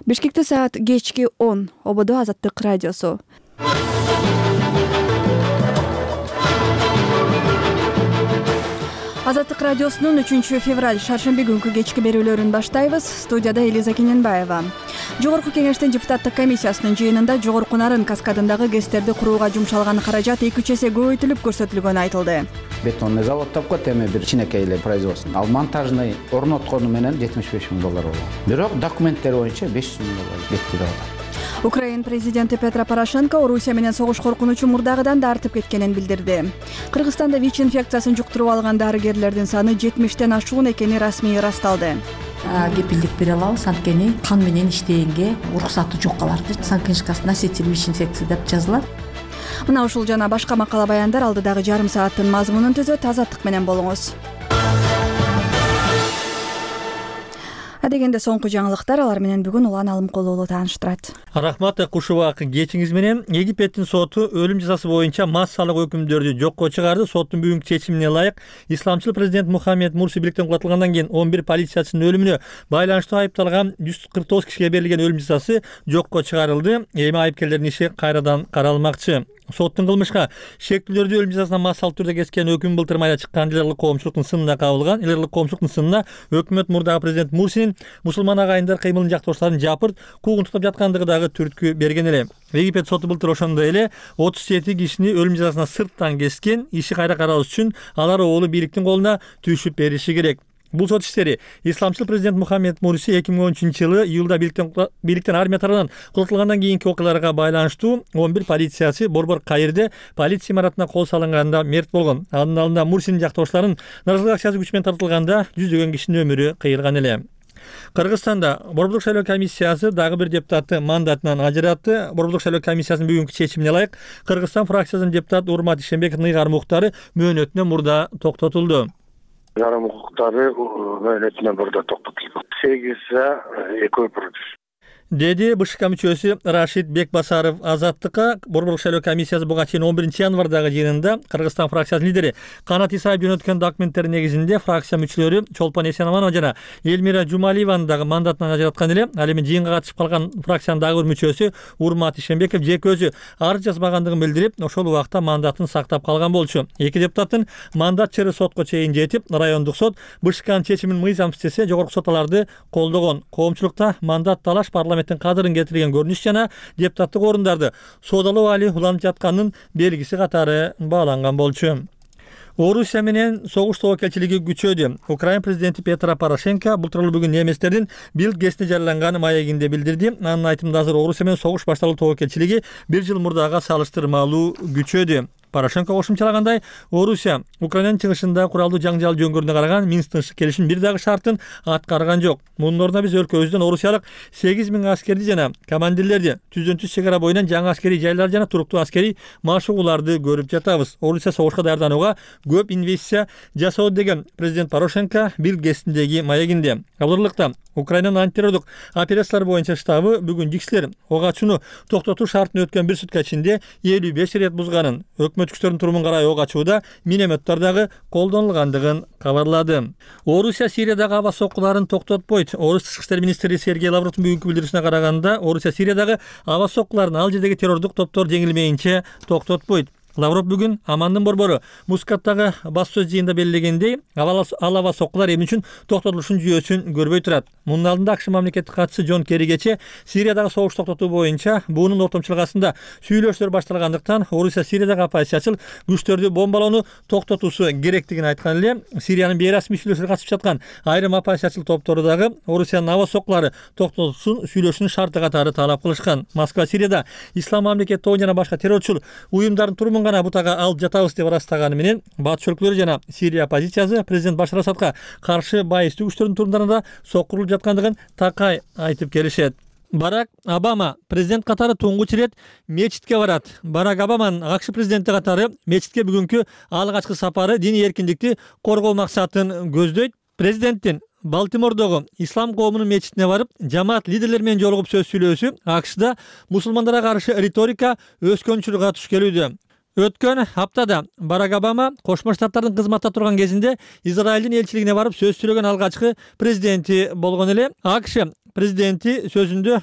Бишкекте саат кечки 10. Ободо Азаттык радиосу. Азаттык радиосунун 3-февраль шаршемби күнкү кечки берүүлөрүн баштайбыз. Студияда Элиза Кененбаева. Жогорку кеңештин депутаттык комиссиясынын жыйынында Жогорку Нарын каскадындагы ГЭСтерди курууга жумшалган каражат 2-3 эсе көбөйтүлүп көрсөтүлгөнү айтылды. Бетонный завод тапкат, эми бир кичинекей эле производство. Ал монтажный орноткону менен $75 000 болгон. Бирок документтер боюнча $500 000 кетти деп атат. Украин президенти Петро Порошенко Орусия менен согуш коркунучу мурдагыдан да артып кеткенин билдирди. Кыргызстанда ВИЧ инфекциясын жуктуруп алган дарыгерлердин саны 70-тен ашуун экени расмий ырасталды. Кепилдик бере алабыз, анткени кан менен иштегенге уруксаты жок каларды. Санкнижкасы носитель ВИЧ инфекции деп жазылат. Мына ушул жана башка макала баяндар алдыдагы жарым сааттын мазмунун түзөт. Азаттык менен болуңуз. Адегенде соңку жаңылыктар, алар менен бүгүн Улан Алымкулуу тааныштырат. Рахмат Кушубак, кечиңиз менен Египеттин соту өлүм жазасы боюнча массалык өкүмдөрдү жокко чыгарды. Соттун бүгүнкү чечимине ылайык исламчыл президент Мухаммед Мурси бийликтен кулатылгандан кийин 11 полициячынын өлүмүнө байланыштуу айыпталган 149 кишиге берилген өлүм жазасы жокко чыгарылды. Эми айыпкерлердин иши кайрадан каралмакчы. Соттун кылмышка шектүүлөрдү өлүм жазасына массалык түрдө кескен өкүм былтыр майда чыккан элирлик коомчулуктун сынына кабылган. Элирлик коомчулуктун сынына өкмөт мурдагы президент Мурсинин мусулман агайындар кыймылын жактоочуларын жапырт куугунтуктап жаткандыгы дагы түрткү берген эле. Египет соту былтыр ошондой эле 37 кишини өлүм жазасына сырттан кескен. Иши кайра каралыш үчүн алар оолу бийликтин колуна түшүп бериши керек. Бул сот иштери исламчыл президент Мухаммед Мурси 2013-жылы июлда бийликтен армия тарабынан кулатылгандан кийинки окуяларга байланыштуу 11 полициячы Борбор Каирде полиция имаратына кол салынганда мерт болгон. Анын алдында Мурсинин жактоочуларын нааразылык акчасы күч менен тартылганда жүздөгөн кишинин өмүрү кыйылган эле. Кыргызстанда Борбордук шайлоо комиссиясы дагы бир депутатты мандатынан ажыратты. Борбордук шайлоо комиссиясынын бүгүнкү чечимине ылайык Кыргызстан фракциясынын депутаты Урмат Ишембеков Ныйгар Мухтары мөөнөтүнөн мурда токтотулду. Жарым укуктары мөөнөтүнөн мурда токтотулду. 8-2 деди БШК мүчөсү Рашид Бекбасаров Азаттыкка. Борбордук шайлоо комиссиясы буга чейин 11-январдагы жыйынында Кыргызстан фракциясынын лидери Канат Исаев жөнөткөн документтер негизинде фракция мүчөлөрү Чолпон Эсенаманова жана Элмира Жумалиеваны дагы мандатынан ажыраткан эле. Ал эми жыйынга катышып калган фракциянын дагы бир мүчөсү Урмат Ишембеков жеке өзү арыз жазбагандыгын билдирип, ошол убакта мандатын сактап калган болчу. Эки депутаттын мандат чыры сотко чейин жетип, райондук сот БШКнын чечимин мыйзам иштесе, жогорку сот аларды колдогон. Коомчулукта мандат талаш парламенттин кадырын кетирген көрүнүш жана депутаттык орундарды соодалоо али уланып жатканын белгиси катары бааланган болчу. Орусия менен согуш тобокелчилиги күчөдү. Украин президенти Петро Порошенко бул тууралуу бүгүн немистердин Билд гезитине жарыяланган маегинде билдирди. Анын айтымында азыр Орусия менен согуш башталуу тобокелчилиги бир жыл мурдага салыштырмалуу күчөдү. Порошенко кошумчалагандай, Орусия Украинанын чыгышында куралдуу жаңжал жөнгөрүнө караган Минск келишимин бир дагы шартын аткарган жок. Мунун ордуна биз өлкөбүздөн орусиялык 8000 аскерди жана командирлерди, түздөн-түз чек ара боюнан жаңы аскерий жайлар жана туруктуу аскерий машыгууларды көрүп жатабыз. Орусия согушка даярданууга көп инвестиция жасоо деген президент Порошенко Билд гезитиндеги маегинде. Абдырлыкта Украинанын антитеррордук операциялар боюнча штабы бүгүн жиксилер ок ачууну токтотуу шартын өткөн бир сутка ичинде 55 рет бузганын, өкмөт күчтөрүнүн турумун карай ок ачууда минометтер дагы колдонулгандыгын кабарлады. Орусия Сириядагы аба соккуларын токтотпойт. Орус тышкы иштер министри Сергей Лавровдун бүгүнкү билдирүүсүнө караганда, Орусия Сириядагы аба соккуларын ал жердеги террордук топтор жеңилмейинче токтотпойт. Лавров бүгүн Амандын борбору Мускаттагы бас сөз жыйында белгилегендей, ал аба соккулар эмне үчүн токтотулушун жүйөсүн көрбөй турат. Мунун алдында АКШ мамлекеттик катчысы Джон Керри кече Сириядагы согуш токтотуу боюнча буунун ортомчулук астында сүйлөшүүлөр башталгандыктан Орусия Сириядагы оппозициячыл күчтөрдү бомбалоону токтотуусу керектигин айткан эле. Сириянын бейрасмий сүйлөшүүлөргө катышып жаткан айрым оппозициячыл топтору дагы Орусиянын аба соккулары токтотулсын сүйлөшүүнүн шарты катары талап кылышкан. Москва Сирияда ислам мамлекет тобу жана башка террорчул уюмдардын турумун гана бутага алып жатабыз деп ырастаганы менен батыш өлкөлөрү жана Сирия оппозициясы президент Башар Асадка каршы байыстуу күчтөрдүн турумдарында сокурулуп жаткандыгын такай айтып келишет. Барак Обама президент катары туңгуч ирет мечитке барат. Барак Обаманын АКШ президенти катары мечитке бүгүнкү алгачкы сапары диний эркиндикти коргоо максатын көздөйт. Президенттин Балтимордогу ислам коомунун мечитине барып, жамаат лидерлери менен жолугуп сөз сүйлөөсү АКШда мусулмандарга каршы риторика өскөнчүлүгү туш келүүдө. Өткөн аптада Барак Обама Кошмо Штаттардын кызматта турган кезинде Израилдин элчилигине барып сөз сүйлөгөн алгачкы президенти болгон эле. АКШ президенти сөзүндө